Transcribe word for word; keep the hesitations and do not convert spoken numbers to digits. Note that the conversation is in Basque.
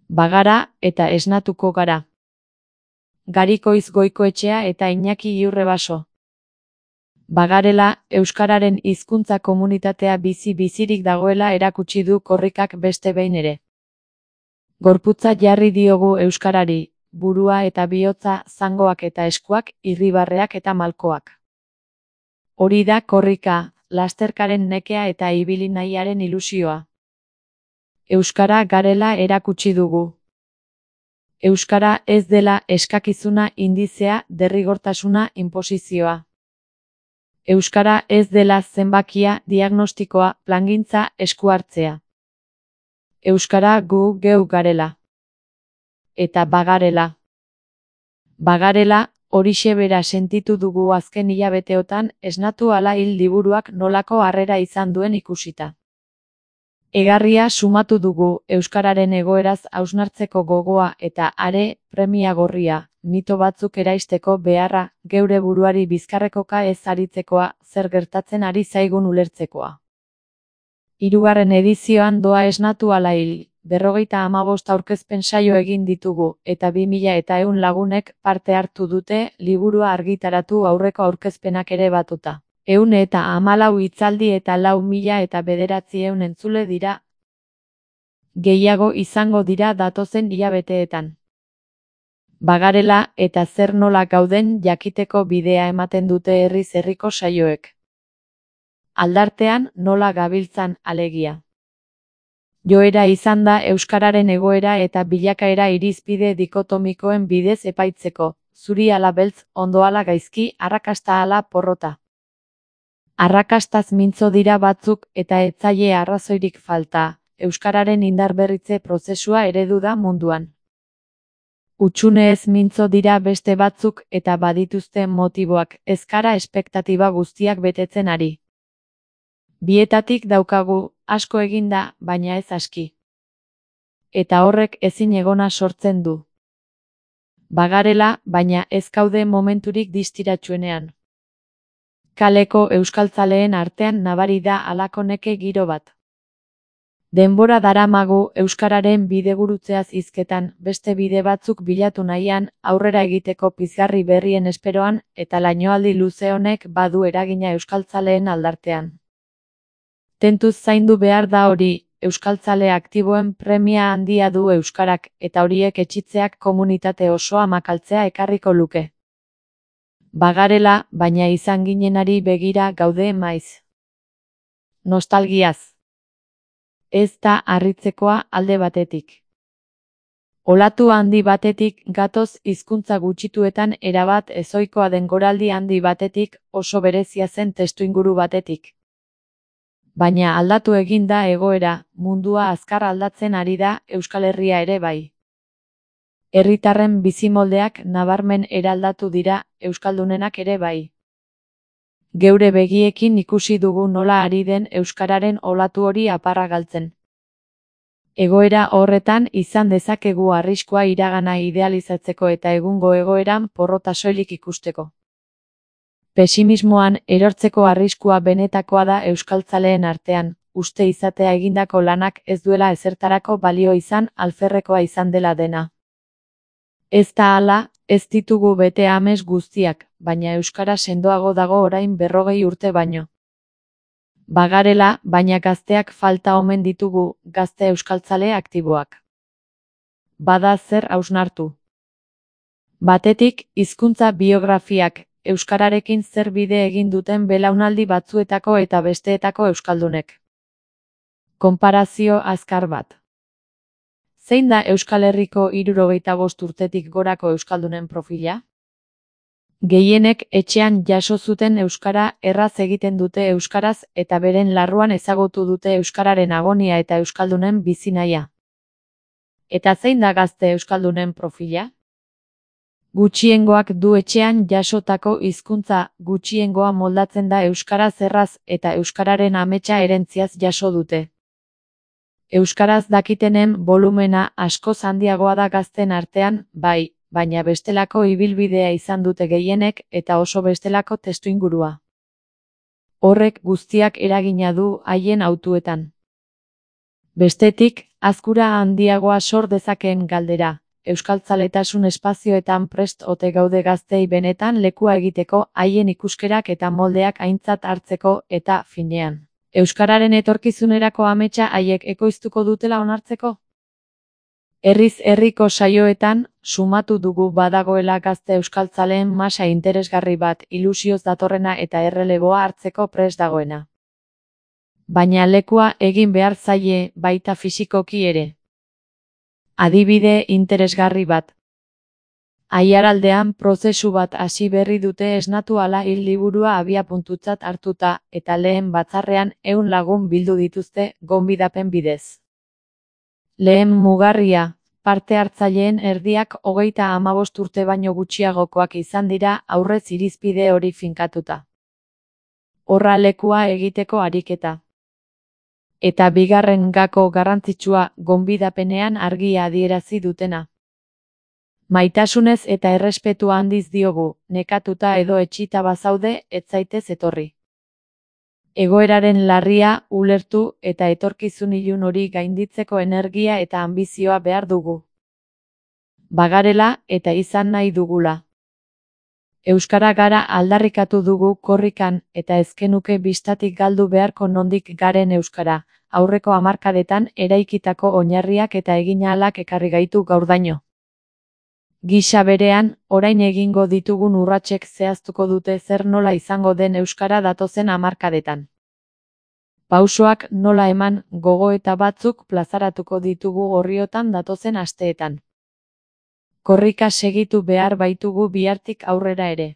Bagara eta esnatuko gara. Garikoiz Goikoetxea eta Iñaki Iurrebaso. Bagarela, euskararen hizkuntza komunitatea bizi-bizirik dagoela erakutsi du korrikak beste behin ere. Gorputza jarri diogu euskarari, burua eta bihotza, zangoak eta eskuak, irribarreak eta malkoak. Hori da korrika, lasterkaren nekea eta ibili nahiaren ilusioa. Euskara garela erakutsi dugu. Euskara ez dela eskakizuna, indizea, derrigortasuna, inposizioa. Euskara ez dela zenbakia, diagnostikoa, plangintza, esku hartzea. Euskara gu geu garela. Eta bagarela. Bagarela, horixe bera sentitu dugu azken hilabeteotan esnatu ala hil liburuak nolako harrera izan duen ikusita. Egarria sumatu dugu euskararen egoeraz hausnartzeko gogoa eta are, premia gorria, mito batzuk eraisteko beharra, geure buruari bizkarrekoka ez aritzekoa, zer gertatzen ari zaigun ulertzekoa. Hirugarren edizioan doa esnatu ala hil, berrogeita hamabost aurkezpen saio egin ditugu, eta bi mila eta ehun lagunek parte hartu dute, liburua argitaratu aurreko aurkezpenak ere batuta. Ehun eta hamalau hitzaldi eta lau mila eta bederatziehun entzule dira. Gehiago izango dira datozen hilabeteetan. Bagarela eta zer nola gauden jakiteko bidea ematen dute herriz herriko saioek. Aldartean nola gabiltzan alegia. Joera izan da euskararen egoera eta bilakaera irizpide dikotomikoen bidez epaitzeko, zuri ala beltz, ondo ala gaizki, arrakasta ala porrota. Arrakastaz mintzo dira batzuk eta ez zaie arrazoirik falta, euskararen indarberritze prozesua eredu da munduan. Hutsune ez mintzo dira beste batzuk eta badituzte motiboak, ez gara espektatiba guztiak betetzen ari. Bietatik daukagu, asko eginda, baina ez aski. Eta horrek ezin egona sortzen du. Bagarela, baina ez gaude momenturik distiratsuenean. Kaleko euskaltzaleen artean nabari da halako neke giro bat. Denbora daramagu euskararen bidegurutzeaz hizketan, beste bide batzuk bilatu nahian, aurrera egiteko pizgarri berrien esperoan, eta lainoaldi luze honek badu eragina euskaltzaleen aldartean. Tentuz zaindu behar da hori, euskaltzale aktiboen premia handia du euskarak, eta horiek etxitzeak komunitate osoa makaltzea ekarriko luke. Bagarela, baina izan ginenari begira gaude maiz. Nostalgiaz. Ez da harritzekoa alde batetik. Olatu handi batetik gatoz hizkuntza gutxituetan erabat ezohikoa den goraldi handi batetik, oso berezia zen testuinguru batetik. Baina aldatu egin da egoera, mundua azkar aldatzen ari da, Euskal Herria ere bai. Herritarren bizimoldeak nabarmen eraldatu dira, euskaldunenak ere bai. Geure begiekin ikusi dugu nola ari den euskararen olatu hori aparra galtzen. Egoera horretan izan dezakegu arriskua iragana idealizatzeko eta egungo egoeran porrota soilik ikusteko. Pesimismoan erortzeko arriskua benetakoa da euskaltzaleen artean, uste izatea egindako lanak ez duela ezertarako balio izan, alferrekoa izan dela dena. Ez da hala, ez ditugu bete ames guztiak, baina euskara sendoago dago orain berrogei urte baino. Bagarela, baina gazteak falta omen ditugu, gazte euskaltzale aktiboak. Bada zer hausnartu. Batetik, hizkuntza biografiak, euskararekin zer bide egin duten belaunaldi batzuetako eta besteetako euskaldunek. Konparazio azkar bat. Zein da Euskal Herriko hirurogeita bost urtetik gorako euskaldunen profila? Gehienek etxean jaso zuten euskara erraz egiten dute euskaraz eta beren larruan ezagutu dute euskararen agonia eta euskaldunen bizi nahia. Eta zein da gazte euskaldunen profila? Gutxiengoak du etxean jasotako hizkuntza, gutxiengoa moldatzen da euskaraz erraz eta euskararen ametsa erentziaz jaso dute. Euskaraz dakitenen volumena askoz handiagoa da gazten artean, bai, baina bestelako ibilbidea izan dute gehienek eta oso bestelako testuingurua. Horrek guztiak eragina du haien hautuetan. Bestetik, azkura handiagoa sor dezakeen galdera, euskaltzaletasun espazioetan prest ote gaude gazteei benetan lekua egiteko, haien ikuskerak eta moldeak aintzat hartzeko eta, finean, euskararen etorkizunerako ametsa haiek ekoiztuko dutela onartzeko? Herriz herriko saioetan, sumatu dugu badagoela gazte euskaltzaleen masa interesgarri bat, ilusioz datorrena eta erreleboa hartzeko prest dagoena. Baina lekua egin behar zaie, baita fisikoki ere. Adibide interesgarri bat. Aiaraldean prozesu bat hasi berri dute esnatu ala hil liburua abiapuntutzat hartuta, eta lehen batzarrean ehun lagun bildu dituzte, gonbidapen bidez. Lehen mugarria, parte hartzaileen erdiak hogeita hamabost urte baino gutxiagokoak izan dira aurrez irizpide hori finkatuta. Horra lekua egiteko ariketa. Eta bigarren gako garrantzitsua, gonbidapenean argi adierazi dutena. Maitasunez eta errespetua handiz diogu, nekatuta edo etxita bazaude, ez zaitez etorri. Egoeraren larria ulertu eta etorkizun ilun hori gainditzeko energia eta anbizioa behar dugu. Bagarela eta izan nahi dugula. Euskara gara aldarrikatu dugu korrikan eta ezkenuke bistatik galdu beharko nondik garen euskara, aurreko hamarkadetan eraikitako oinarriak eta eginahalak ekarri gaitu gaurdaino. Gisa berean, orain egingo ditugun urratsek zehaztuko dute zer nola izango den euskara datozen hamarkadetan. Pausoak nola eman, gogoeta batzuk plazaratuko ditugu orriotan datozen asteetan. Korrika segitu behar baitugu bihartik aurrera ere.